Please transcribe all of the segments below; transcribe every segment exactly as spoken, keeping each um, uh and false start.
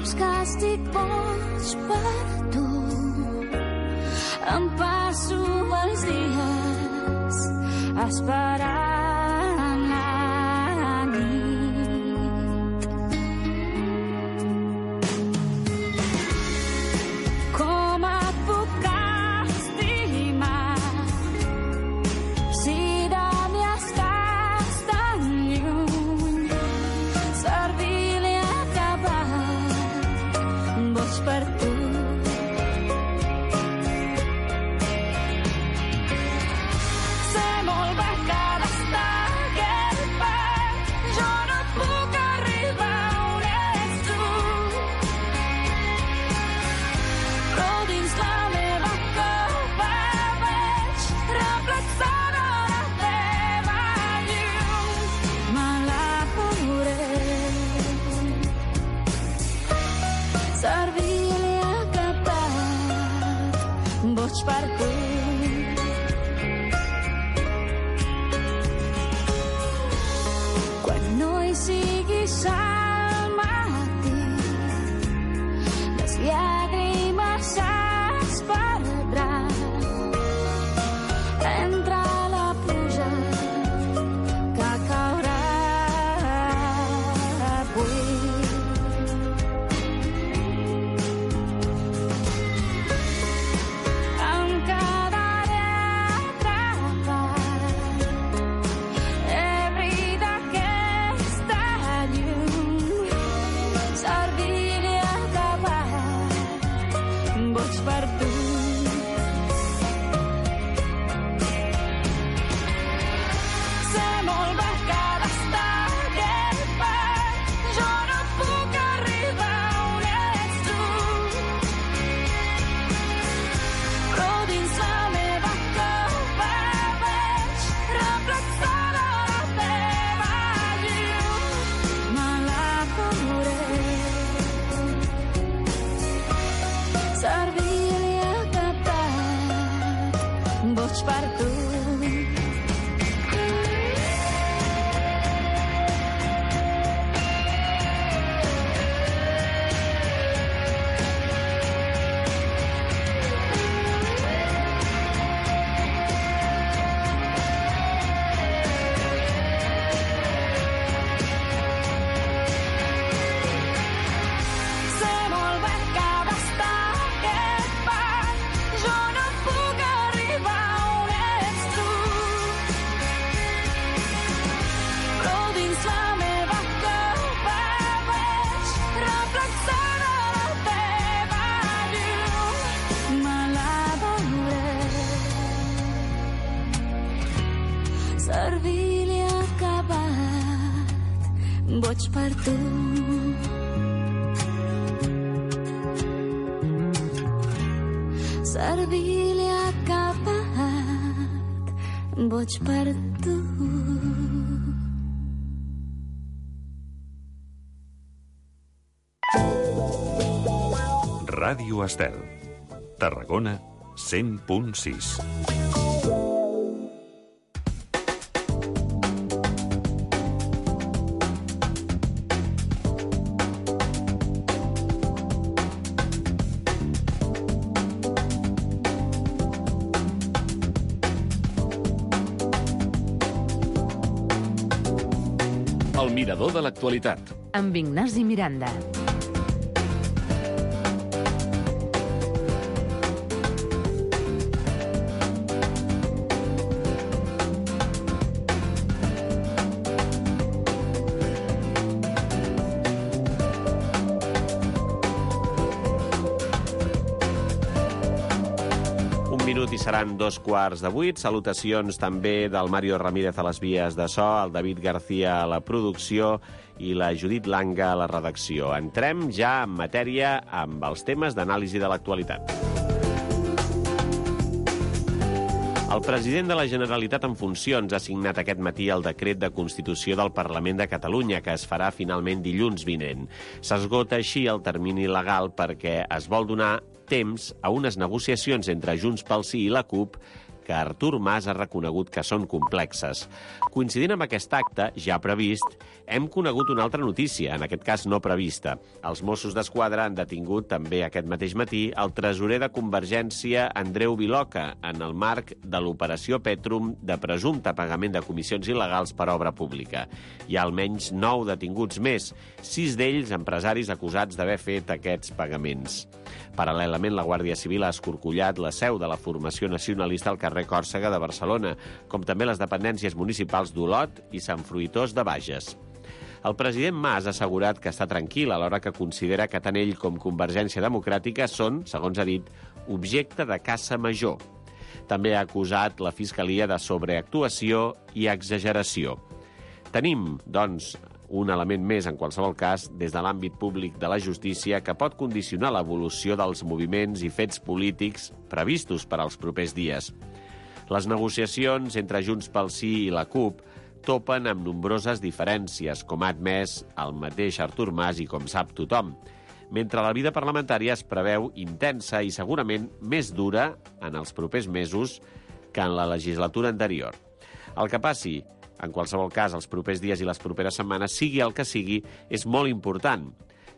saps que estic boig per tu. Em passo els dies esperant la nit. Com et puc estimar si de mi estàs tan lluny? Servir-li a acabat, boig per tu. Boig per tu. Quan no hi siguis al matí, les llàgrimes s'esperdran entre la pluja que caurà avui. Boig per tu. Servir-li a acabat, boig per tu. Servir-li a acabat, boig per tu. Ràdio Estel, Tarragona, cent punt sis. El mirador de l'actualitat. Amb Ignasi Miranda. minut i seran dos quarts de vuit. Salutacions també del Mario Ramírez a les vies de so, el David García a la producció i la Judit Langa a la redacció. Entrem ja en matèria amb els temes d'anàlisi de l'actualitat. El president de la Generalitat en funcions ha signat aquest matí el decret de constitució del Parlament de Catalunya, que es farà finalment dilluns vinent. S'esgota així el termini legal perquè es vol donar temps a unes negociacions entre Junts pel Sí i la CUP que Artur Mas ha reconegut que són complexes. Coincidint amb aquest acte, ja previst, hem conegut una altra notícia, en aquest cas no prevista. Els Mossos d'Esquadra han detingut també aquest mateix matí el tresorer de Convergència Andreu Viloca en el marc de l'operació Petrum de presumpte pagament de comissions il·legals per obra pública. Hi ha almenys nou detinguts més, sis d'ells empresaris acusats d'haver fet aquests pagaments. Paral·lelament, la Guàrdia Civil ha escorcollat la seu de la formació nacionalista al carrer Còrsega de Barcelona, com també les dependències municipals d'Olot i Sant Fruitós de Bages. El president Mas ha assegurat que està tranquil alhora que considera que tant ell com Convergència Democràtica són, segons ha dit, objecte de caça major. També ha acusat la Fiscalia de sobreactuació i exageració. Tenim, doncs, un element més, en qualsevol cas, des de l'àmbit públic de la justícia que pot condicionar l'evolució dels moviments i fets polítics previstos per als propers dies. Les negociacions entre Junts pel Sí i la CUP topen amb nombroses diferències, com ha admès el mateix Artur Mas i com sap tothom, mentre la vida parlamentària es preveu intensa i segurament més dura en els propers mesos que en la legislatura anterior. El que passi, en qualsevol cas, els propers dies i les properes setmanes, sigui el que sigui, és molt important.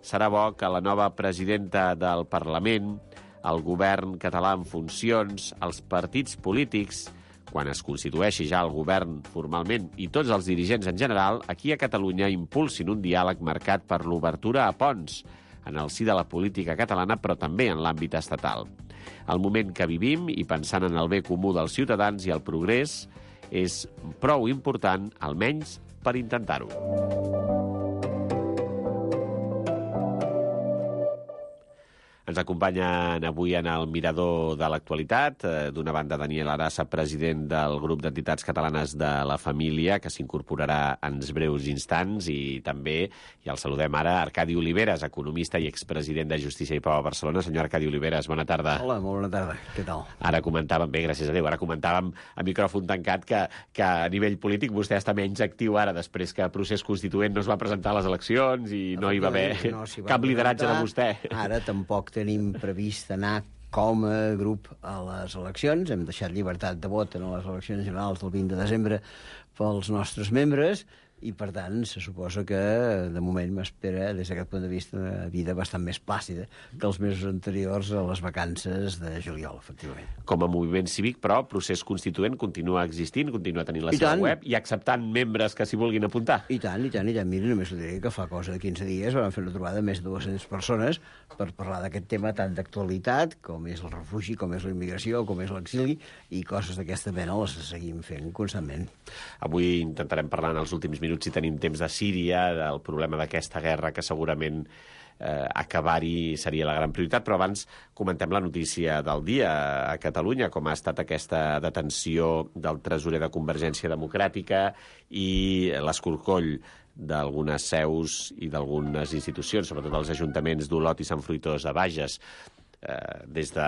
Serà bo que la nova presidenta del Parlament, el govern català en funcions, els partits polítics, quan es constitueixi ja el govern formalment i tots els dirigents en general, aquí a Catalunya impulsin un diàleg marcat per l'obertura a ponts en el si de la política catalana, però també en l'àmbit estatal. El moment que vivim, i pensant en el bé comú dels ciutadans i el progrés, és prou important, almenys, per intentar-ho. Ens acompanyen avui en el Mirador de l'Actualitat, d'una banda Daniel Arassa, president del grup d'entitats catalanes de la família, que s'incorporarà en breus instants, i també, i el saludem ara, Arcadi Oliveres, economista i expresident de Justícia i Pau a Barcelona. Senyor Arcadi Oliveres, bona tarda. Hola, molt bona tarda. Què tal? Ara comentàvem, bé, gràcies a Déu, ara comentàvem a micròfon tancat que, que a nivell polític vostè està menys actiu ara, després que el procés constituent no es va presentar a les eleccions i no, no hi va haver no, si va cap lideratge de vostè. Ara tampoc tenim previst anar com a grup a les eleccions. Hem deixat llibertat de vot en les eleccions generals del vint de desembre pels nostres membres i, per tant, se suposa que, de moment, m'espera, des d'aquest punt de vista, una vida bastant més plàcida que els mesos anteriors a les vacances de juliol, efectivament. Com a moviment cívic, però, el procés constituent continua existint, continua tenint la I seva tant. web i acceptant membres que s'hi vulguin apuntar. I tant, i tant, i tant. Mira, només ho diré que fa cosa de quinze dies vam fer una trobada de més de dues-centes persones per parlar d'aquest tema tant d'actualitat, com és el refugi, com és la immigració, com és l'exili, i coses d'aquesta mena les seguim fent constantment. Avui intentarem parlar en els últims minuts, si tenim temps, de Síria, del problema d'aquesta guerra, que segurament eh, acabar-hi seria la gran prioritat, però abans comentem la notícia del dia a Catalunya, com ha estat aquesta detenció del tresorer de Convergència Democràtica i l'escorcoll d'algunes seus i d'algunes institucions, sobretot els ajuntaments d'Olot i Sant Fruitós de Bages. Eh, des de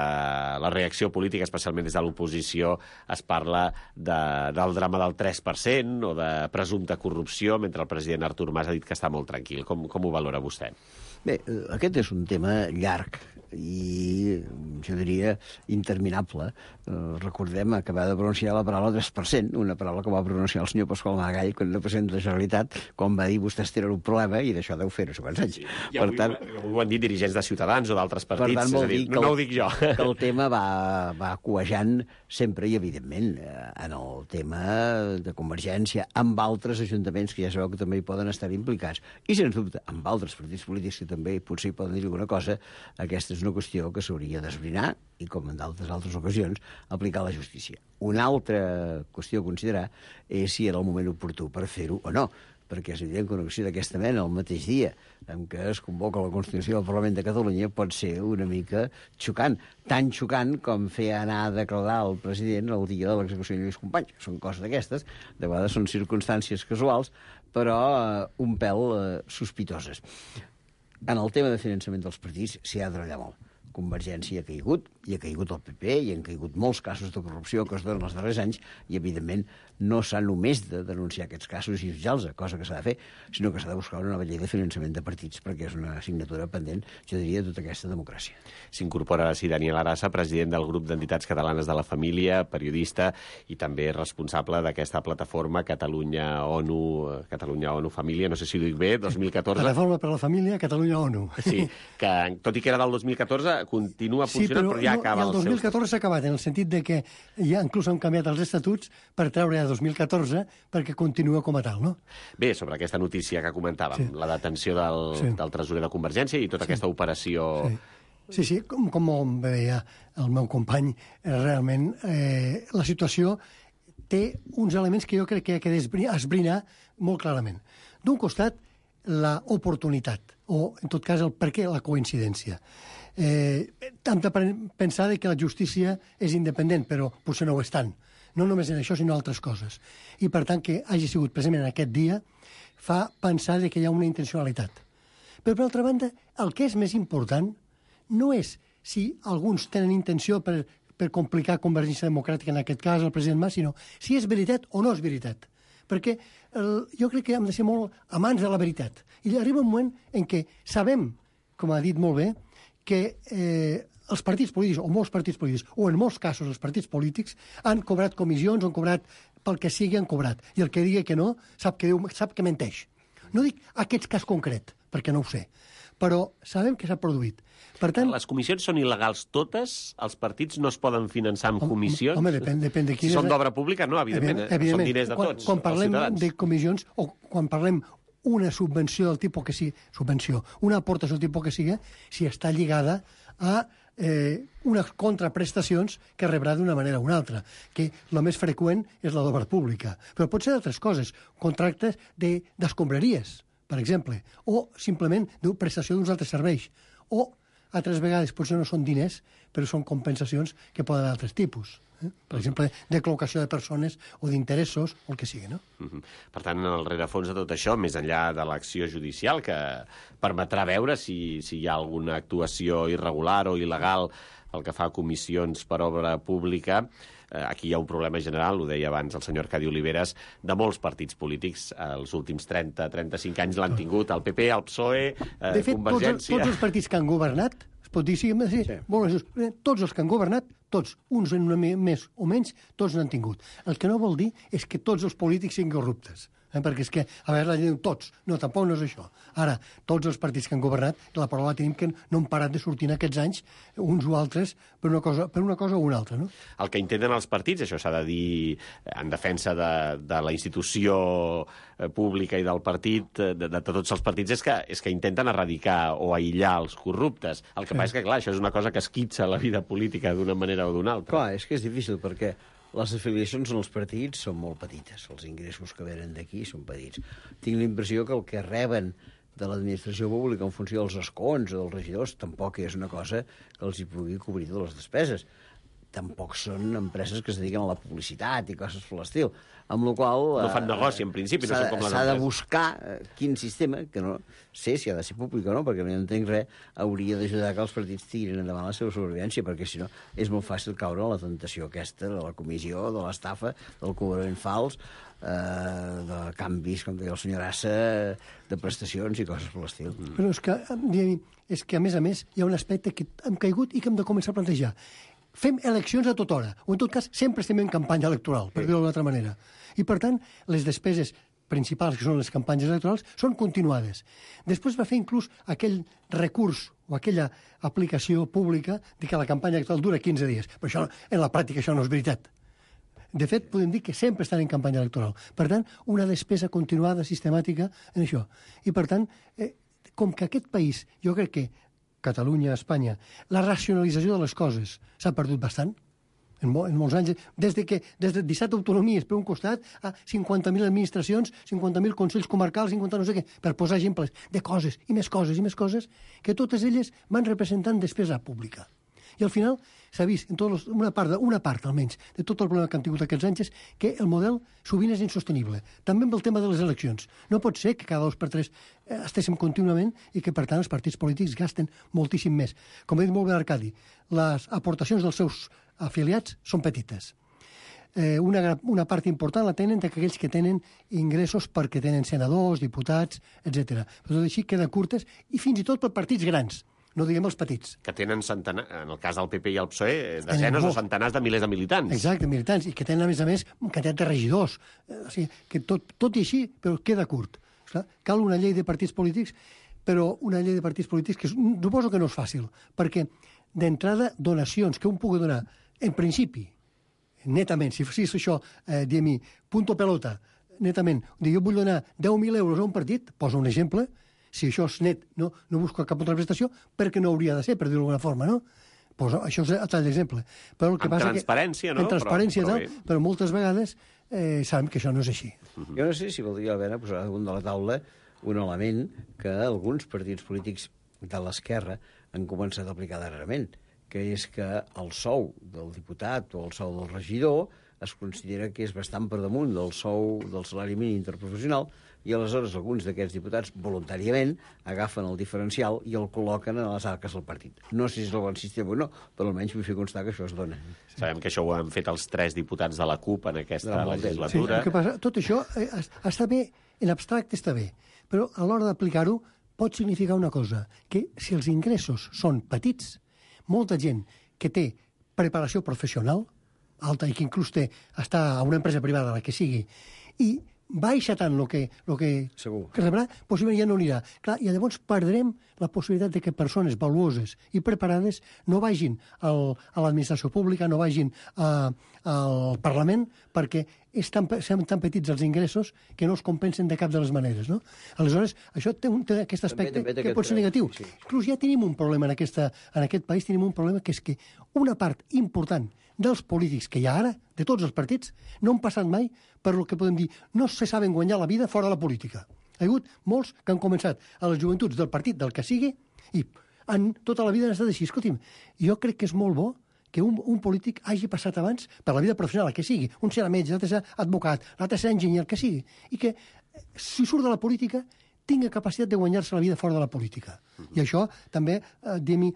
la reacció política, especialment des de l'oposició, es parla de, del drama del tres per cent o de presumpta corrupció, mentre el president Artur Mas ha dit que està molt tranquil. Com, com ho valora vostè? Bé, aquest és un tema llarg i, jo diria, interminable. Eh, recordem acabar de pronunciar la paraula tres per cent, una paraula que va pronunciar el senyor Pasqual Maragall quan era president de la Generalitat, quan va dir vostès tenen un problema i d'això deu fer no sé quants anys. Sí. I per avui, tant, avui ho han dit dirigents de Ciutadans o d'altres partits. Per tant, vol dir, dir no, no ho dic jo. Que el tema va, va cuejant sempre i, evidentment, en el tema de Convergència, amb altres ajuntaments que ja sabeu que també hi poden estar implicats. I, sens dubte, amb altres partits polítics que també potser hi poden dir alguna cosa, aquesta és una qüestió que s'hauria d'esbrinar i, com en d'altres altres ocasions, aplicar a la justícia. Una altra qüestió a considerar és si era el moment oportú per fer-ho o no, perquè és evident que una acció d'aquesta mena el mateix dia en què es convoca la Constitució del Parlament de Catalunya pot ser una mica xocant, tan xocant com fer anar a declarar el president el dia de l'execució de Lluís Companys. Són coses d'aquestes, de vegades són circumstàncies casuals, però eh, un pèl eh, sospitoses. En el tema de finançament dels partits s'hi ha de treballar molt. Convergència ha caigut, i ha caigut el P P, i han caigut molts casos de corrupció que es donen els darrers anys, i, evidentment, no s'ha només de denunciar aquests casos i jutjar-los, cosa que s'ha de fer, sinó que s'ha de buscar una nova llei de finançament de partits, perquè és una assignatura pendent, jo diria, de tota aquesta democràcia. S'incorpora així Daniel Arassa, president del grup d'entitats catalanes de la família, periodista i també responsable d'aquesta plataforma Catalunya-ONU, Catalunya-ONU Família, no sé si ho dic bé, dos mil catorze. Plataforma per la Família, Catalunya-ONU. Sí, que tot i que era del dos mil catorze, continua funcionant, sí, però, però ja no, acaba el dos mil catorze s'ha acabat, en el sentit de que ja inclús han canviat els estatuts per treure ja dos mil catorze perquè continua com a tal, no? Bé, sobre aquesta notícia que comentàvem, sí. La detenció del, sí. del tresorer de Convergència i tota sí. aquesta operació... Sí, sí, sí com, com veia el meu company, realment eh, la situació té uns elements que jo crec que ha de esbrinar molt clarament. D'un costat, la oportunitat, o en tot cas el per què la coincidència. Eh, hem de pensar que la justícia és independent, però potser no ho és tant. No només en això, sinó en altres coses. I, per tant, que hagi sigut precisament aquest dia fa pensar que hi ha una intencionalitat. Però, per altra banda, el que és més important no és si alguns tenen intenció per, per complicar Convergència Democràtica, en aquest cas, el president Mas, sinó si és veritat o no és veritat. Perquè el, jo crec que hem de ser molt amants de la veritat. I arriba un moment en què sabem, com ha dit molt bé, que eh, els partits polítics, o molts partits polítics, o en molts casos els partits polítics, han cobrat comissions, han cobrat pel que sigui, han cobrat. I el que digui que no, sap que, diu, sap que menteix. No dic aquest cas concret, perquè no ho sé, però sabem que s'ha produït. Per tant, les comissions són il·legals totes? Els partits no es poden finançar amb comissions? Home, depèn, depèn de quina... Si són d'obra pública, no, evidentment. evidentment, evidentment. Són diners de tots, quan, quan parlem de comissions, o quan parlem una subvenció del tipus que sigui, subvenció, una aportació del tipus que sigui, si està lligada a eh, unes contraprestacions que rebrà d'una manera o una altra, que el més freqüent és la d'obra pública. Però pot ser d'altres coses, contractes d'escombraries, per exemple, o simplement de prestació d'uns altres serveis, o altres vegades potser no són diners, però són compensacions que poden haver d'altres tipus. Eh? Per exemple, de col·locació de persones o d'interessos, o el que sigui, no? Uh-huh. Per tant, en el rerefons de tot això, més enllà de l'acció judicial, que permetrà veure si, si hi ha alguna actuació irregular o il·legal el que fa a comissions per obra pública, eh, aquí hi ha un problema general, ho deia abans el senyor Arcadi Oliveres, de molts partits polítics. Els últims trenta a trenta-cinc anys l'han tingut el P P, el P S O E, eh, de fet, Convergència... Tots, tots els partits que han governat, es pot dir, sí, sí, sí. Molt, tots els que han governat, tots, uns en una més o menys, tots n'han tingut. El que no vol dir és que tots els polítics siguin corruptes. Eh? Perquè és que, a veure, la llei diu tots. No, tampoc no és això. Ara, tots els partits que han governat, la paraula tenim que no han parat de sortir en aquests anys, uns o altres, per una cosa, per una cosa o una altra, no? El que intenten els partits, això s'ha de dir en defensa de, de la institució pública i del partit, de, de, de tots els partits, és que, és que intenten erradicar o aïllar els corruptes. El que sí. passa és que, clar, això és una cosa que esquitxa la vida política d'una manera o d'una altra. Clar, és que és difícil, perquè les afiliacions en els partits són molt petites, els ingressos que venen d'aquí són petits. Tinc la impressió que el que reben de l'administració pública en funció dels escons o dels regidors tampoc és una cosa que els hi pugui cobrir de les despeses. Tampoc són empreses que es dediquen a la publicitat i coses per l'estil, amb la qual no fan negoci, en principi, no són com les empreses. S'ha de buscar quin sistema, que no sé si ha de ser públic o no, perquè no entenc res, hauria d'ajudar que els partits tirin endavant la seva sobrevivència, perquè si no és molt fàcil caure en la tentació aquesta de la comissió, de l'estafa, del cobrament fals, eh, de canvis, com deia el senyor Assa, de prestacions i coses per l'estil. Mm. Però és que, és que, a més a més, hi ha un aspecte que hem caigut i que hem de començar a plantejar. Fem eleccions a tota hora, o en tot cas sempre estem en campanya electoral, per dir-ho d'una altra manera. I, per tant, les despeses principals, que són les campanyes electorals, són continuades. Després va fer inclús aquell recurs o aquella aplicació pública de que la campanya electoral dura quinze dies. Però això, en la pràctica això no és veritat. De fet, podem dir que sempre estan en campanya electoral. Per tant, una despesa continuada, sistemàtica, en això. I, per tant, eh, com que aquest país, jo crec que Catalunya, Espanya, la racionalització de les coses s'ha perdut bastant en, mo en molts anys. Des de que des de disset autonomies per un costat a cinquanta mil administracions, cinquanta mil consells comarcals, cinquanta no sé què, per posar exemples de coses i més coses i més coses que totes elles van representant despesa pública. I al final s'ha vist, en tots, una, part, una part almenys, de tot el problema que han tingut aquests anys, és que el model sovint és insostenible. També amb el tema de les eleccions. No pot ser que cada dos per tres eh, estéssim contínuament i que, per tant, els partits polítics gasten moltíssim més. Com ha dit molt bé l'Arcadi, les aportacions dels seus afiliats són petites. Eh, una, una part important la tenen d'aquells que tenen ingressos perquè tenen senadors, diputats, etcètera. Però tot així queda curtes i fins i tot per partits grans, no diguem els petits. Que tenen centenars, en el cas del P P i el P S O E, desenes o centenars de milers de militants. Exacte, militants, i que tenen, a més a més, una quantitat de regidors. Eh, o sigui, que tot, tot i així, però queda curt. Clar, cal una llei de partits polítics, però una llei de partits polítics que suposo que no és fàcil, perquè d'entrada donacions que un pugui donar, en principi, netament, si fos això, eh, diguem-hi, punto pelota, netament, jo vull donar deu mil euros a un partit, posa un exemple, si això és net, no, no busco cap altra prestació, perquè no hauria de ser, per dir-ho d'alguna forma, no? Posa, això és a tall d'exemple. Però el que amb passa transparència, que, no? En transparència, però, però, però, però moltes vegades eh, sabem que això no és així. Jo no sé si valdria la pena posar damunt de la taula un element que alguns partits polítics de l'esquerra han començat a aplicar darrerament, que és que el sou del diputat o el sou del regidor es considera que és bastant per damunt del sou del salari mínim interprofessional i aleshores alguns d'aquests diputats voluntàriament agafen el diferencial i el col·loquen a les arques del partit. No sé si és el bon sistema o no, però almenys vull fer constar que això es dona. sabem que això ho han fet els tres diputats de la CUP en aquesta legislatura. Sí, el que passa, tot això eh, està bé, en abstracte està bé, però a l'hora d'aplicar-ho pot significar una cosa, que si els ingressos són petits, molta gent que té preparació professional alta i que inclús té, està a una empresa privada, la que sigui, i baixa tant el que, lo que, que rebrà, possiblement ja no anirà. Clar, i llavors perdrem la possibilitat de que persones valuoses i preparades no vagin al, a l'administració pública, no vagin a, al Parlament, perquè és tan, són tan petits els ingressos que no es compensen de cap de les maneres. No? Aleshores, això té, un, té aquest aspecte també, també que pot ser negatiu. Sí. Inclús ja tenim un problema en, aquesta, en aquest país, tenim un problema que és que una part important dels polítics que hi ha ara, de tots els partits, no han passat mai per el que podem dir, no se saben guanyar la vida fora de la política. Hi ha hagut molts que han començat a les joventuts del partit, del que sigui, i han, tota la vida han estat així. Escolti'm, jo crec que és molt bo que un, un polític hagi passat abans per la vida professional, el que sigui. Un serà metge, l'altre serà advocat, l'altre serà enginyer, el que sigui. I que, si surt de la política, tingui capacitat de guanyar-se la vida fora de la política. Mm-hmm. I això també, eh, diguem-hi,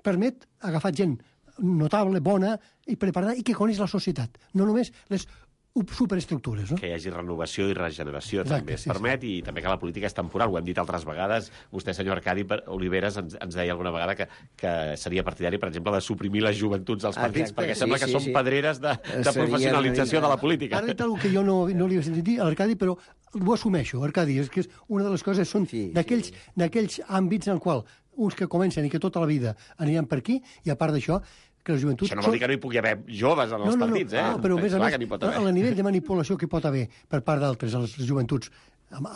permet agafar gent notable, bona i preparada i que coneix la societat, no només les superestructures. No? Que hi hagi renovació i regeneració. Exacte, també es sí, permet, sí. I també que la política és temporal. Ho hem dit altres vegades. Vostè, senyor Arcadi Oliveres, ens, ens deia alguna vegada que, que seria partidari, per exemple, de suprimir les joventuts dels partits, exacte, perquè sí, sembla que sí, són sí. pedreres de, de Seria professionalització una... de la política. Ara dit alguna que jo no, no li he sentit dir a l'Arcadi, però ho assumeixo, Arcadi, és que és una de les coses són sí, d'aquells sí. d'aquells àmbits en el qual uns que comencen i que tota la vida aniran per aquí, i a part d'això, que la joventut... Això no vol dir que no hi pugui haver joves en els no, no, partits, no, eh? No, però a més a Clar més, pot haver. el nivell de manipulació que pot haver per part d'altres, les joventuts,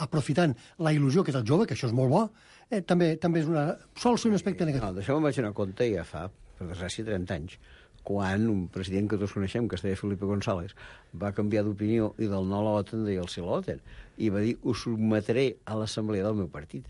aprofitant la il·lusió que és el jove, que això és molt bo, eh, també també és una, sol ser un aspecte negatiu. No, d'això me'n vaig anar a compte ja fa, per desgràcia, trenta anys, quan un president que tots coneixem, que es deia Felipe González, va canviar d'opinió i del no a l'OTAN deia el sí a l'OTAN, i va dir, ho sotmetré a l'assemblea del meu partit.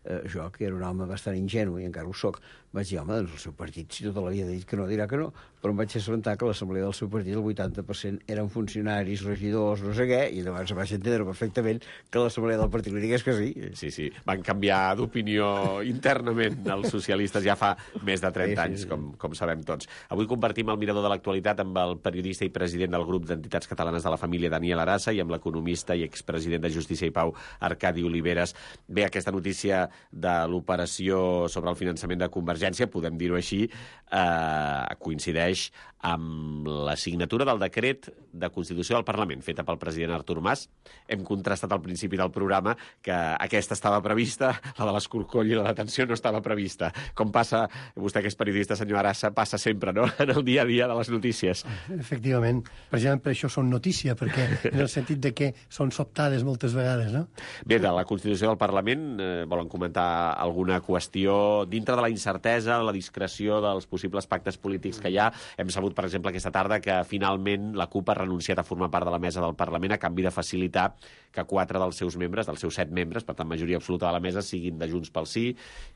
Eh, jo, que era un home bastant ingenu, i encara ho soc, vaig dir, home, doncs el seu partit, si tota la vida ha dit que no, dirà que no, però em vaig assabentar que a l'assemblea del seu partit el vuitanta per cent eren funcionaris, regidors, no sé què, i llavors vaig entendre perfectament que l'assemblea del partit li digués que sí. Sí, sí, van canviar d'opinió internament els socialistes ja fa més de trenta sí, sí, anys, sí. com, com sabem tots. Avui compartim el mirador de l'actualitat amb el periodista i president del grup d'entitats catalanes de la família, Daniel Arassa, i amb l'economista i expresident de Justícia i Pau, Arcadi Oliveres. Bé, aquesta notícia de l'operació sobre el finançament de Convergència, podem dir-ho així, eh, coincideix amb la signatura del decret de Constitució del Parlament, feta pel president Artur Mas. Hem contrastat al principi del programa que aquesta estava prevista, la de l'escorcoll i la detenció no estava prevista. Com passa, vostè que és periodista, senyor Arassa, passa sempre, no?, en el dia a dia de les notícies. Efectivament. Precisament per això són notícia, perquè en el sentit de que són sobtades moltes vegades, no? Bé, de la Constitució del Parlament eh, volen començar comentar alguna qüestió dintre de la incertesa, la discreció dels possibles pactes polítics que hi ha. Hem sabut, per exemple, aquesta tarda que finalment la CUP ha renunciat a formar part de la mesa del Parlament a canvi de facilitar que quatre dels seus membres, dels seus set membres, per tant majoria absoluta de la mesa, siguin de Junts pel Sí,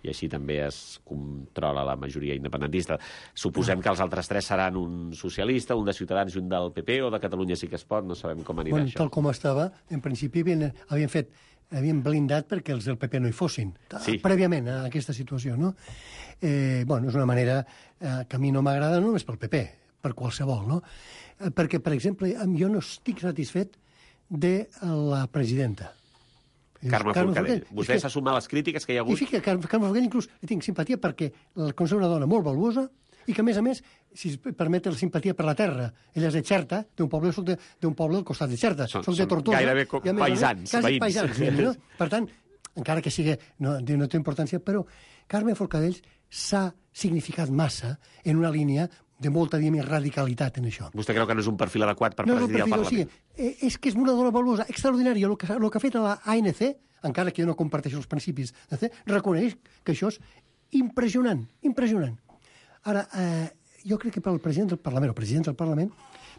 i així també es controla la majoria independentista. Suposem que els altres tres seran un socialista, un de Ciutadans i un del P P, o de Catalunya Sí que es pot, no sabem com anirà bueno, això. Tal com estava, en principi havien, havien fet havien blindat perquè els del P P no hi fossin, sí. prèviament a aquesta situació, no? Eh, bueno, és una manera eh, que a mi no m'agrada, no només pel P P, per qualsevol, no? Eh, perquè, per exemple, jo no estic satisfet de la presidenta. Carme, Carme Forcadell. Vostè s'ha sumat a les crítiques que hi ha hagut? I fica, Carme Forcadell inclús li tinc simpatia perquè la considero una dona molt valuosa i que, a més a més, si es permet la simpatia per la terra, ella és de Xerta, d'un poble, soc d'un poble al costat de Xerta, són, soc de Tortosa. Gairebé i a més, paisans, quasi veïns. paisans, no? Per tant, encara que sigui, no, no té importància, però Carme Forcadell s'ha significat massa en una línia de molta, diguem, radicalitat en això. Vostè creu que no és un perfil adequat per no presidir el Parlament? Sí, eh, és que és una dona valuosa, extraordinària. El que, el que ha fet a la A N C, encara que jo no comparteixo els principis, reconeix que això és impressionant, impressionant. Ara, eh, jo crec que pel president del Parlament, o president del Parlament,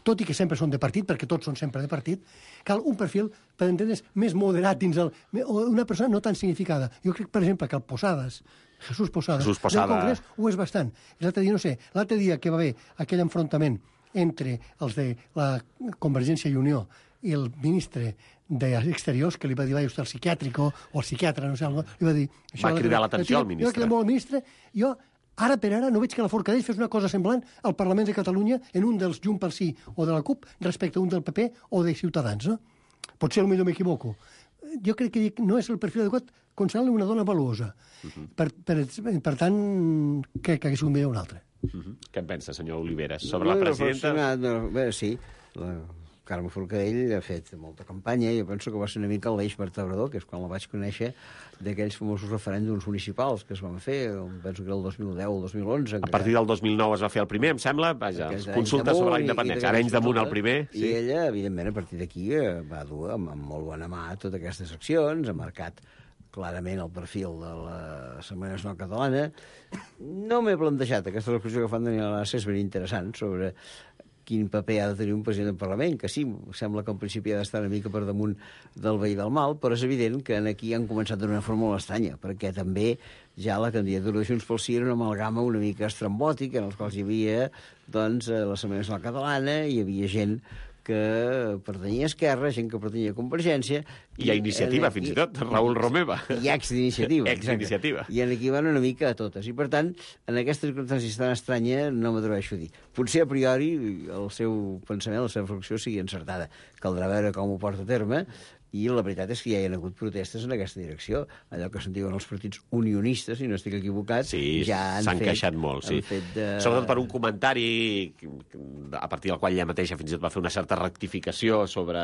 tot i que sempre són de partit, perquè tots són sempre de partit, cal un perfil, per entendre's, més moderat dins el... o una persona no tan significada. Jo crec, per exemple, que el Posadas, Jesús Posadas, Jesús Posada. del Congrés, ho és bastant. L'altre dia, no sé, l'altre dia que va haver aquell enfrontament entre els de la Convergència i Unió i el ministre d'Exteriors, que li va dir, vai, vostè, el psiquiàtrico, o el psiquiatre, no sé, li va dir... Va cridar l'atenció al ministre. Jo cridar molt al ministre, jo... Ara per ara no veig que la Forcadell fes una cosa semblant al Parlament de Catalunya en un dels Junts pel Sí o de la CUP respecte a un del P P o de Ciutadans, no? Potser potser m'equivoco. Jo crec que no és el perfil adequat considerar-li una dona valuosa. Uh -huh. per, per, per tant, crec que hagués sigut millor una altra. Uh -huh. Què en pensa, senyor Oliveres? Sobre la presidenta... No, bé, sí, la Carme Forcadell ha fet molta campanya i jo penso que va ser una mica l'eix vertebrador, que és quan la vaig conèixer, d'aquells famosos referèndums municipals que es van fer, penso que era el dos mil deu o el dos mil onze. A partir del dos mil nou es va fer el primer, em sembla, vaja, consulta sobre la independència. Ara anys damunt el primer. I sí. Ella, evidentment, a partir d'aquí va dur amb, amb molt bona mà totes aquestes accions, ha marcat clarament el perfil de la Setmana Nacional Catalana. No m'he plantejat aquesta reflexió que fan Daniel Arasa, és ben interessant, sobre quin paper ha de tenir un president del Parlament, que sí, sembla que al principi ha d'estar una mica per damunt del bé i del mal, però és evident que aquí han començat d'una forma molt estranya, perquè també ja la candidatura de Junts pel Sí era una amalgama una mica estrambòtica, en els quals hi havia doncs, la Setmana Nacional Catalana, hi havia gent que pertanyia a Esquerra, gent que pertanyia a Convergència... I a Iniciativa, aquí, fins i tot, Raül Romeva. I ex-d'iniciativa. Ex-d'iniciativa. I aquí van una mica a totes. I, per tant, en aquesta circumstància tan estranya no m'atreveixo a dir. Potser, a priori, el seu pensament, la seva reflexió sigui encertada. Caldrà veure com ho porta a terme, i la veritat és que ja hi ha hagut protestes en aquesta direcció. Allò que se'n diuen els partits unionistes, si no estic equivocat, sí, ja han s'han fet... queixat molt, sí. De... Sobretot per un comentari a partir del qual ella mateixa fins i tot va fer una certa rectificació sobre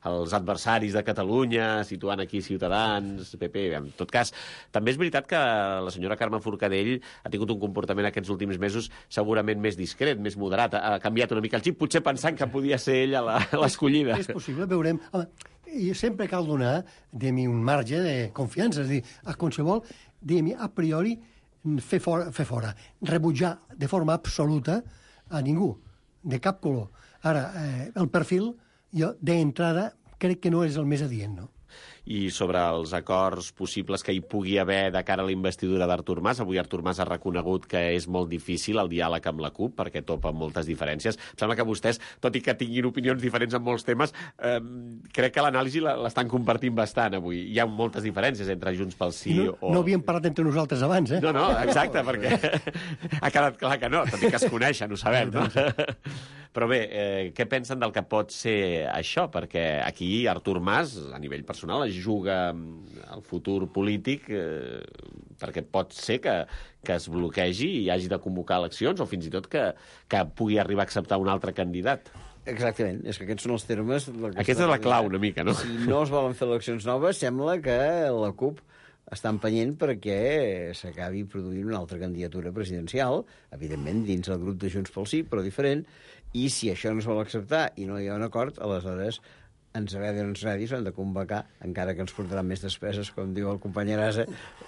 els adversaris de Catalunya, situant aquí Ciutadans, P P... En tot cas, també és veritat que la senyora Carme Forcadell ha tingut un comportament aquests últims mesos segurament més discret, més moderat. Ha canviat una mica el xip, potser pensant que podia ser ella l'escollida. És possible, veurem... Home, i sempre cal donar, diguem, un marge de confiança, és a dir, a qualsevol, diguem, a priori, fer fora, fer fora, rebutjar de forma absoluta a ningú, de cap color. Ara, eh, el perfil, jo, d'entrada, crec que no és el més adient, no? I sobre els acords possibles que hi pugui haver de cara a la investidura d'Artur Mas. Avui Artur Mas ha reconegut que és molt difícil el diàleg amb la CUP perquè topa amb moltes diferències. Em sembla que vostès, tot i que tinguin opinions diferents en molts temes, eh, crec que l'anàlisi l'estan compartint bastant avui. Hi ha moltes diferències entre Junts pel Sí no, o... No havíem parlat entre nosaltres abans, eh? No, no, exacte, perquè ha quedat clar que no, tot i que es coneixen, ho sabem, no? Però bé, eh, què pensen del que pot ser això? Perquè aquí Artur Mas, a nivell personal, es juga el futur polític eh, perquè pot ser que, que es bloquegi i hagi de convocar eleccions o fins i tot que, que pugui arribar a acceptar un altre candidat. Exactament, és que aquests són els termes... Aquesta és la clau una mica, no? Si no es volen fer eleccions noves, sembla que la CUP està empenyent perquè s'acabi produint una altra candidatura presidencial, evidentment dins el grup de Junts pel Sí, però diferent, i si això no es vol acceptar i no hi ha un acord, aleshores ens agradi o no ens agradi, s'han de convocar, encara que ens portaran més despeses, com diu el company Arasa,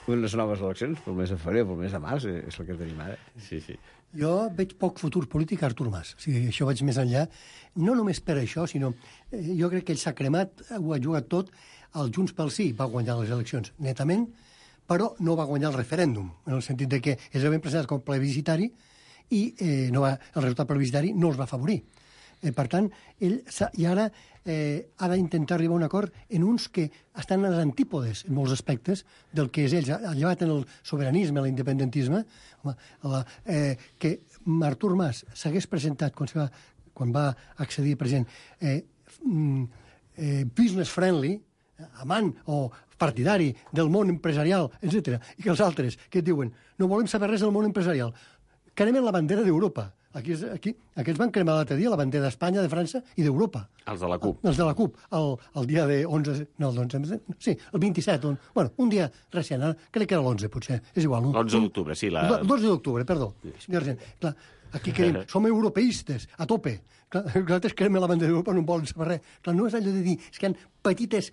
unes noves eleccions, pel mes de febrer o pel mes de març, és el que tenim ara. Sí, sí. Jo veig poc futur polític a Artur Mas. O sigui, això vaig més enllà. No només per això, sinó... Eh, jo crec que ell s'ha cremat, ho ha jugat tot. El Junts pel Sí va guanyar les eleccions netament, però no va guanyar el referèndum, en el sentit de que es va presentat com plebiscitari i eh, no va, el resultat plebiscitari no els va afavorir. Eh, per tant, ell i ara eh, ha d'intentar arribar a un acord en uns que estan a les antípodes en molts aspectes del que és ells. Ha llevat en el sobiranisme, l'independentisme, home, la, eh, que Artur Mas s'hagués presentat quan, va, quan va accedir a president eh, eh, business friendly, amant o partidari del món empresarial, etcètera, i que els altres que et diuen no volem saber res del món empresarial, cremen la bandera d'Europa. Aquí, aquí, aquests van cremar l'altre dia la bandera d'Espanya, de França i d'Europa. Els de la CUP. Els de la CUP, el, el dia de onze... No, el onze... Sí, el vint-i-set. Un, bueno, un dia recent, crec que era l'onze, potser. És igual. l'onze d'octubre, sí. La... El dotze d'octubre, perdó. Clar, aquí creiem, som europeistes, a tope. Clar, nosaltres cremen la bandera d'Europa, no en volen saber res. Clar, no és allò de dir, és que hi ha petites,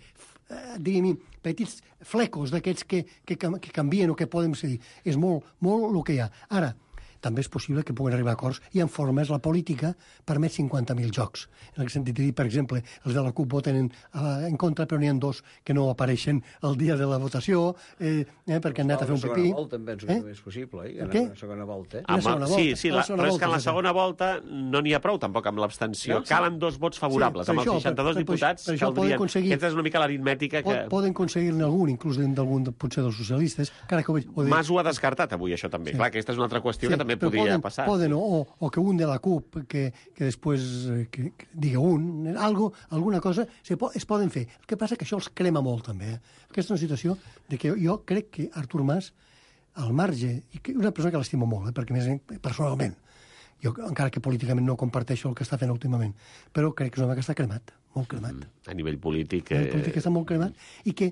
eh, diguem, petits flecos d'aquests que, que, que canvien o que podem dir. És molt, molt el que hi ha. Ara, també és possible que puguen arribar a acords i en formes la política permet cinquanta mil jocs. En el sentit de dir, per exemple, els de la CUP voten en, uh, en contra, però n'hi ha dos que no apareixen el dia de la votació, eh, eh, perquè han anat a fer un pipí. La segona volta em penso que també és possible, eh? Què? La segona volta. Amb, segona volta. sí, sí, la, la però és volta, que en la sí, segona volta no n'hi ha prou tampoc amb l'abstenció. No, Calen dos vots favorables. Sí, amb els això, seixanta-dos per- per- diputats per això poden caldrien... aconseguir- Aquesta és una mica l'aritmètica que... Poden aconseguir-ne algun, inclús d'algun, potser dels socialistes, encara que ho veig... Ho dic, Mas ho ha descartat avui, això també. Sí. Clar, aquesta és una altra qüestió sí, que també però podria poden, passar. Poden, o, o que un de la CUP, que, que després eh, que, que diga un, algo, alguna cosa, se po es poden fer. El que passa que això els crema molt, també. Eh? Aquesta és una situació de que jo crec que Artur Mas, al marge, i que una persona que l'estimo molt, eh? perquè més personalment, jo encara que políticament no comparteixo el que està fent últimament, però crec que és un home que està cremat, molt cremat. Mm. A nivell polític... El Eh... polític està molt cremat i que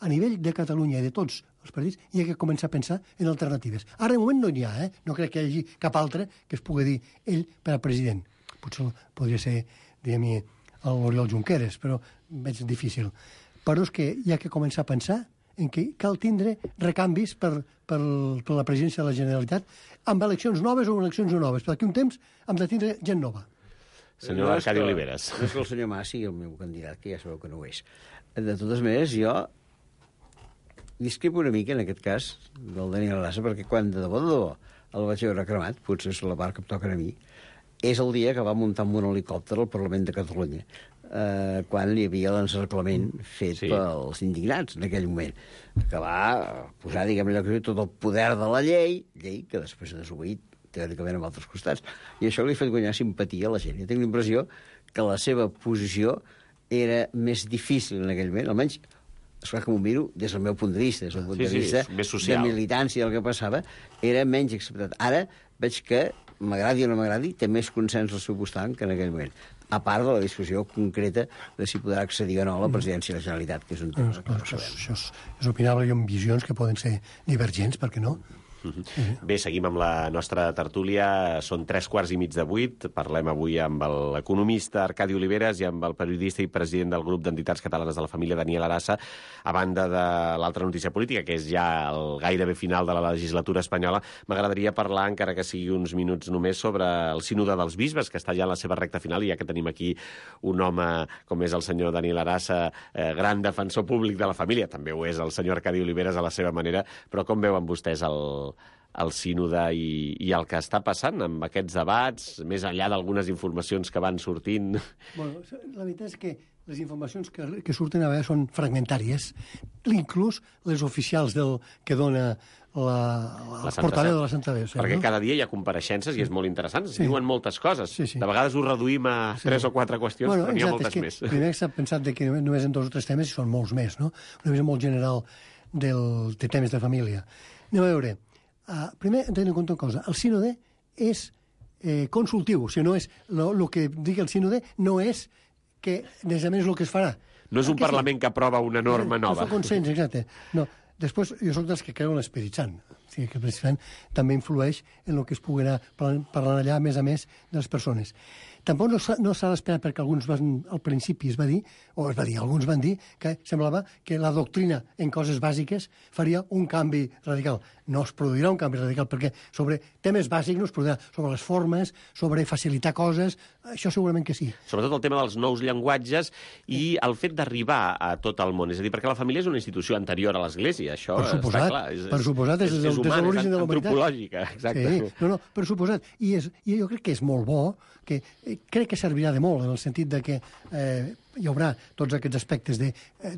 a nivell de Catalunya i de tots els partits hi ha que començar a pensar en alternatives. Ara, de moment, no n'hi ha, eh? No crec que hi hagi cap altre que es pugui dir ell per a president. Potser podria ser, diguem-hi, l'Oriol Junqueras, però veig difícil. Però és que hi ha que començar a pensar en què cal tindre recanvis per, per, per la presidència de la Generalitat amb eleccions noves o eleccions no noves. Per aquí un temps hem de tindre gent nova. Senyor No és Arcadi que- Oliveres. No és que el senyor Mas sigui el meu candidat, que ja sabeu que no ho és. De totes maneres, jo discrepo una mica, en aquest cas, del Daniel Arasa, perquè quan de debò, de debò, el vaig veure cremat, potser és la part que em toca a mi, és el dia que va muntar amb un helicòpter al Parlament de Catalunya, eh, quan hi havia l'encerclament fet Sí. sí. pels indignats en aquell moment, que va posar, diguem, allò que tot el poder de la llei, llei que després ha desobeït teòricament amb altres costats, i això li ha fet guanyar simpatia a la gent. Jo tinc la impressió que la seva posició era més difícil en aquell moment, almenys esclar que m'ho miro des del meu punt de vista, des del punt Sí, de sí, vista més social. de militància del que passava, era menys acceptat. Ara veig que, m'agradi o no m'agradi, té més consens al seu costat que en aquell moment. A part de la discussió concreta de si podrà accedir o no a la presidència de la Generalitat, que és un tema Doncs, que no això, sabem. això és, és opinable i amb visions que poden ser divergents, per què no? Bé, seguim amb la nostra tertúlia. Són tres quarts i mig de vuit. Parlem avui amb l'economista Arcadi Oliveres i amb el periodista i president del grup d'entitats catalanes de la família, Daniel Arasa, a banda de l'altra notícia política, que és ja el gairebé final de la legislatura espanyola. M'agradaria parlar, encara que sigui uns minuts només, sobre el sínode dels bisbes, que està ja en la seva recta final, i ja que tenim aquí un home com és el senyor Daniel Arasa, eh, gran defensor públic de la família, també ho és el senyor Arcadi Oliveres a la seva manera, però com veuen vostès el el sínode i, i el que està passant amb aquests debats, més enllà d'algunes informacions que van sortint? Bueno, la veritat és que les informacions que, que surten a vegades són fragmentàries, inclús les oficials del que dona la, la, La el portaveu de la Santa Veu. Perquè no? cada dia hi ha compareixences i és molt interessant. Es Sí. diuen moltes coses. Sí, sí. De vegades ho reduïm a Sí. tres o quatre qüestions, Bueno, però n'hi ha exacte, moltes és més. que primer s'ha pensat de que només en dos o tres temes i són molts més, no? Una visió molt general del, de temes de família. Anem a veure. Uh, primer, hem de tenir en compte una cosa. El sínode és eh, consultiu. O sigui, no és, el que digui el sínode no és que, necessàriament, és el que es farà. No és un Aquest parlament que aprova una norma no nova. és el consens, exacte. No. Després, jo soc dels que creu en l'Espírit Sant. O sigui, que l'Espírit Sant també influeix en el que es pugui anar parlant allà, a més a més, de les persones. tampoc no s'ha no s'ha d'esperar, perquè alguns van, al principi es va dir, o es va dir, alguns van dir que semblava que la doctrina en coses bàsiques faria un canvi radical. No es produirà un canvi radical, perquè sobre temes bàsics no es produirà, sobre les formes, sobre facilitar coses, això segurament que sí. Sobretot el tema dels nous llenguatges i el fet d'arribar a tot el món. És a dir, perquè la família és una institució anterior a l'Església, això per suposat, està clar. És, per suposat, és, és, és, humana, és l'origen de la humanitat. Antropològica, exacte. Sí, no, no, per suposat. I, és, I jo crec que és molt bo, que eh, crec que servirà de molt, en el sentit de que eh, hi haurà tots aquests aspectes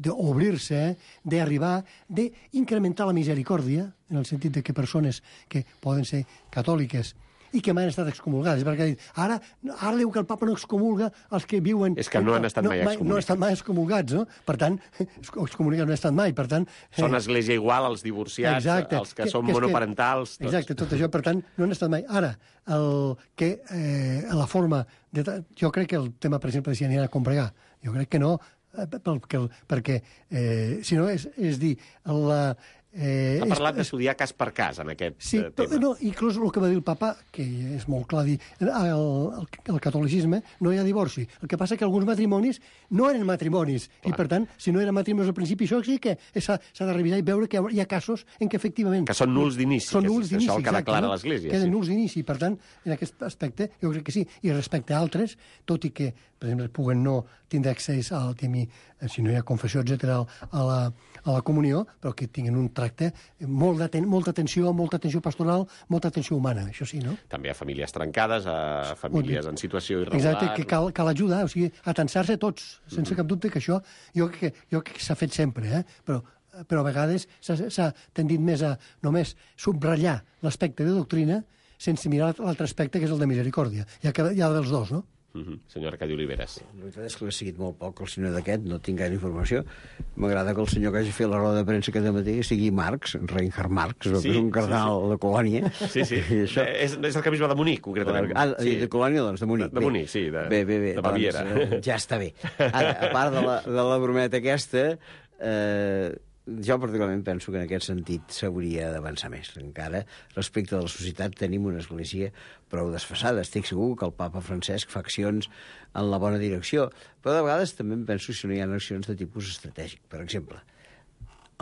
d'obrir-se, d'arribar, d'incrementar la misericòrdia, en el sentit de que persones que poden ser catòliques i que mai han estat excomulgades, perquè ha dit, ara, ara diu que el papa no excomulga els que viuen... És que no han estat mai excomulgats. No han estat mai excomulgats, no? Per tant, excomulgats no han estat mai, per tant... Són església igual als divorciats, exacte, els que, que són que, monoparentals... Que, tots. Exacte, tot això, per tant, no han estat mai. Ara, el que eh, la forma... De, jo crec que el tema, per exemple, de si aniran a combregar, jo crec que no, perquè, perquè eh, si no, és, és dir, la... Eh, ha parlat d'estudiar cas per cas en aquest sí, eh, tema. No, inclús el que va dir el papa, que és molt clar dir, el, el, el catolicisme no hi ha divorci. El que passa que alguns matrimonis no eren matrimonis, clar. I per tant, si no eren matrimonis al principi, això sí que s'ha de revisar i veure que hi ha casos en què efectivament... Que són nuls d'inici, són nuls d'inici, això el que declara no? l'Església. Queden sí. nuls d'inici, per tant, en aquest aspecte jo crec que sí. I respecte a altres, tot i que, per exemple, puguen no tindre accés al tema, si no hi ha confessió, etcètera, a la, a la comunió, però que tinguin un tracte molt d'aten molta atenció, molta atenció pastoral, molta atenció humana, això sí, no? També a famílies trencades, a famílies en situació irregular... Exacte, que cal, cal ajudar, o sigui, atensar-se tots, sense mm-hmm. cap dubte que això, jo crec que, jo crec que s'ha fet sempre, eh? però, però a vegades s'ha tendit més a només subratllar l'aspecte de doctrina sense mirar l'altre aspecte, que és el de misericòrdia. Hi ha, hi ha dels dos, no? Uh-huh. Senyor Arcadi Oliveres. La veritat és que l'he seguit molt poc, el senyor d'aquest, no tinc gaire informació. M'agrada que el senyor que hagi fet la roda de premsa aquest matí sigui Marx, Reinhard Marx, sí, que és un cardenal sí, sí. de Colònia. Sí, sí. Això... És, és el bisbe de Munic, concretament. Ah, sí. de Colònia, doncs, de Munic. De, de Munic, sí, de, bé, bé, bé, de Baviera. Doncs, ja està bé. Ara, a part de la, de la brometa aquesta, eh, jo particularment penso que en aquest sentit s'hauria d'avançar més. Encara, respecte de la societat, tenim una església prou desfasada. Estic segur que el papa Francesc fa accions en la bona direcció, però de vegades també em penso si no hi ha accions de tipus estratègic. Per exemple,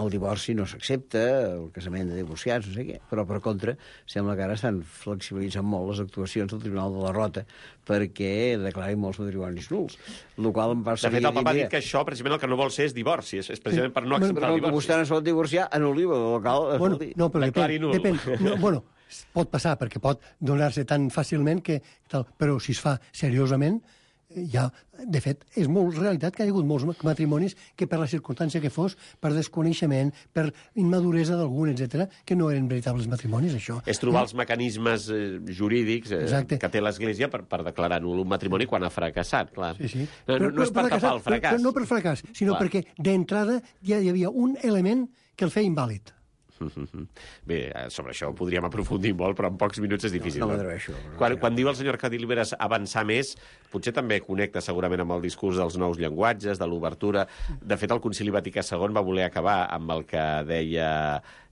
el divorci no s'accepta, el casament de divorciats, no sé què, però per contra sembla que ara estan flexibilitzant molt les actuacions del Tribunal de la Rota perquè declarin molts matrimonis nuls. El qual em va de fet, el papa ha dit que això, precisament, el que no vol ser és divorci, és, és precisament sí. per no acceptar bueno, el divorci. Però vostè no es pot divorciar, anul·liu el local. Bueno, no, però depèn, depèn. No, bueno, pot passar, perquè pot donar-se tan fàcilment que... Tal, però si es fa seriosament, ja, de fet, és molt realitat que hi ha hagut molts matrimonis que per la circumstància que fos, per desconeixement, per immaduresa d'algun, etcètera, que no eren veritables matrimonis, això. És trobar els mecanismes eh, jurídics eh, que té l'Església per, per declarar nul un matrimoni quan ha fracassat, clar. Sí, sí. No, no, no és per tapar el fracàs. No, no per fracàs, sinó clar. Perquè d'entrada ja hi havia un element que el feia invàlid. Bé, sobre això podríem aprofundir molt, però en pocs minuts és difícil. No, no m'atreveixo. No quan, quan diu el senyor Arcadi Oliveres avançar més, potser també connecta segurament amb el discurs dels nous llenguatges, de l'obertura. De fet, el Concili Vaticà segon va voler acabar amb el que deia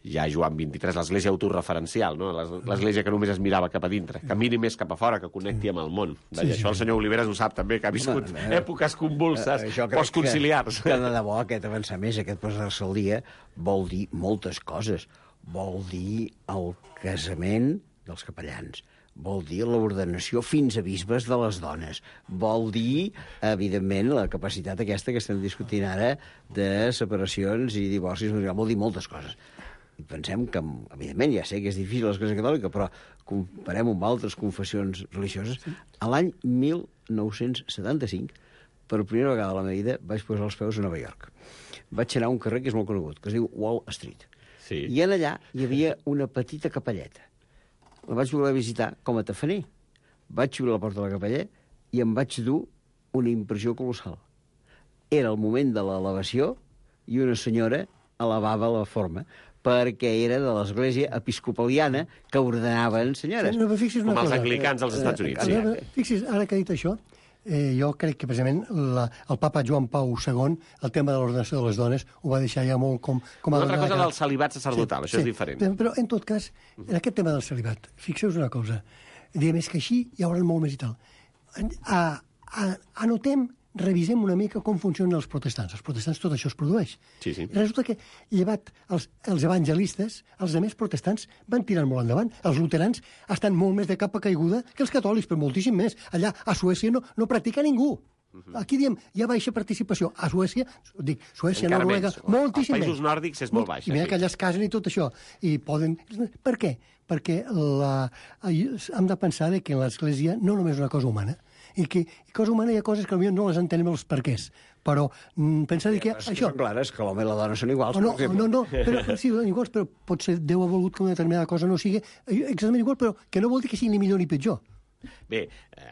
ja Joan vint-i-tres, l'església autorreferencial, no? L'església que només es mirava cap a dintre, que miri més cap a fora, que connecti amb el món. Sí, sí, això el senyor Oliveres ho sap també, que ha viscut Home, èpoques convulses, eh, postconciliars. Que, que de debò aquest avançar més, aquest posar-se al dia, vol dir moltes coses. Vol dir el casament dels capellans, vol dir l'ordenació fins a bisbes de les dones, vol dir, evidentment, la capacitat aquesta que estem discutint ara de separacions i divorcis, vol dir moltes coses. I pensem que, evidentment, ja sé que és difícil l'Església Catòlica, però comparem amb altres confessions religioses. A l'any mil nou-cents setanta-cinc, per primera vegada a la meva vida, vaig posar els peus a Nova York. Vaig anar a un carrer que és molt conegut, que es diu Wall Street. Sí. I en allà hi havia una petita capelleta. La vaig voler visitar com a tafaner. Vaig obrir la porta de la capella i em vaig dur una impressió colossal. Era el moment de l'elevació i una senyora elevava la forma, perquè era de l'església episcopaliana que ordenaven senyores. No, com els cosa. anglicans als Estats Units. Eh, eh, fixi's, ara que ha dit això, eh, jo crec que precisament la, el papa Joan Pau segon, el tema de l'ordenació de les dones, ho va deixar ja molt com... com una altra cosa del celibat sacerdotal, sí, això sí, és diferent. Però, en tot cas, en aquest tema del celibat, fixeu-vos una cosa, diguem, és que així hi haurà molt més i tal. a, a, anotem, revisem una mica com funcionen els protestants. Els protestants tot això es produeix. Sí, sí. I resulta que, llevat els, els evangelistes, els altres protestants van tirar molt endavant. Els luterans estan molt més de capa caiguda que els catòlics, però moltíssim més. Allà, a Suècia, no, no practica ningú. Aquí diem, hi ha baixa participació. A Suècia, dic, Suècia, Encara Noruega, menys. moltíssim Als països menys. nòrdics és molt baixa, I mira sí. que allà es casen i tot això. I poden... Per què? Perquè la... hem de pensar que l'Església no només és una cosa humana, i que i cosa humana hi ha coses que potser no les entenem els perquès, però mm, pensar que És que això... són clares, que l'home i la dona són iguals, O no, per exemple. no, no, però, sí, són iguals, però potser Déu ha volgut que una determinada cosa no sigui exactament igual, però que no vol dir que sigui ni millor ni pitjor. Bé,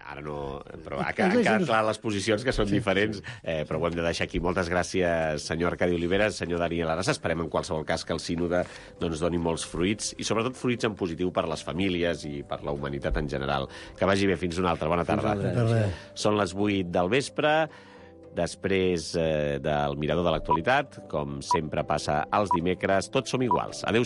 ara no... Però ha, han quedat clar les posicions, que són sí, diferents, eh, però ho hem de deixar aquí. Moltes gràcies, senyor Arcadi Oliveres, senyor Daniel Arasa. Esperem, en qualsevol cas, que el sínode doncs, doni molts fruits, i sobretot fruits en positiu per les famílies i per la humanitat en general. Que vagi bé. Fins una altra. Bona tarda. tarda. Són les vuit del vespre. Després eh, del Mirador de l'Actualitat, com sempre passa els dimecres, tots som iguals. Adéu.